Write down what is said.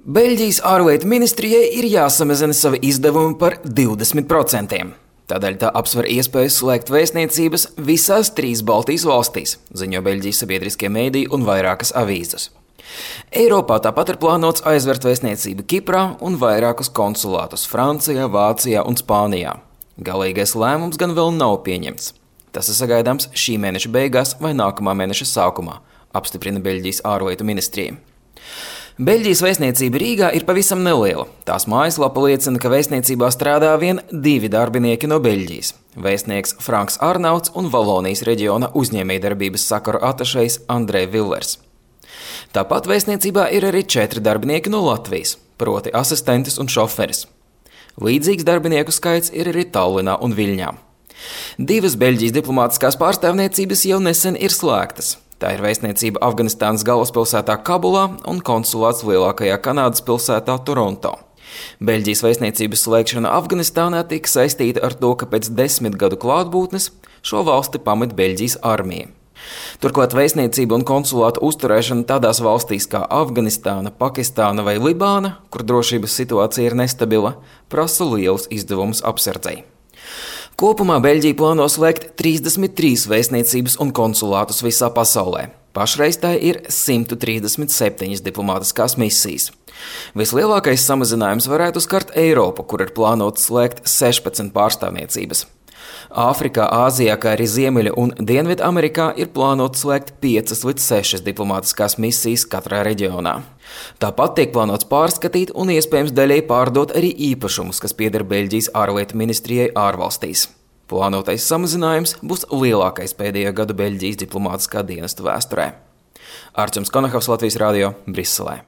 Beļģijas ārlietu ministrijai ir jāsamazina savi izdevumi par 20%. Tādēļ tā apsver iespēju slēgt vēstniecības visās 3 Baltijas valstīs, ziņo Beļģijas sabiedriskie mediji un vairākas avīzes. Eiropā tāpat ir plānots aizvērt vēstniecību Kiprā un vairākus konsulātus Francijā, Vācijā un Spānijā. Galīgais lēmums gan vēl nav pieņemts. Tas ir sagaidāms šī mēneša beigās vai nākamā mēneša sākumā, apstiprina Beļģijas ārlietu ministrija. Beļģijas vēstniecība Rīgā ir pavisam neliela. Tās mājaslapa liecina, ka vēstniecībā strādā vien 2 darbinieki no Beļģijas – vēstnieks Franks Arnauts un Valonijas reģiona uzņēmējdarbības sakaru atašejs Andrej Villers. Tāpat vēstniecībā ir arī 4 darbinieki no Latvijas, proti asistentis un šoferis. Līdzīgs darbinieku skaits ir arī Tallinā un Viļņā. 2 Beļģijas diplomātiskās pārstāvniecības jau nesen ir slēgtas. Tā ir vēstniecība Afganistānas galvaspilsētā Kabulā un konsulāts lielākajā Kanādas pilsētā Toronto. Beļģijas vēstniecības slēgšana Afganistānā tika saistīta ar to, ka pēc 10 gadu klātbūtnes šo valsti pamet Beļģijas armija. Turklāt vēstniecība un konsulāta uzturēšana tādās valstīs kā Afganistāna, Pakistāna vai Libāna, kur drošības situācija ir nestabila, prasa lielus izdevumus apsardzei. Kopumā Beļģija plāno slēgt 33 vēstniecības un konsulātus visā pasaulē. Pašreiz tā ir 137 diplomātiskās misijas. Vislielākais samazinājums varētu skart Eiropu, kur ir plānots slēgt 16 pārstāvniecības. Āfrikā, Āzijā, kā arī Ziemeļa un Dienvidamerikā ir plānots slēgt 5 līdz 6 diplomātiskās misijas katrā reģionā. Tāpat tiek plānots pārskatīt un iespējams daļai pārdot arī īpašumus, kas pieder Beļģijas ārlietu ministrijai ārvalstīs. Plānotais samazinājums būs lielākais pēdējo gadu Beļģijas diplomātiskā dienesta vēsturē. Arčuns Konahavs, Latvijas radio, Briselē.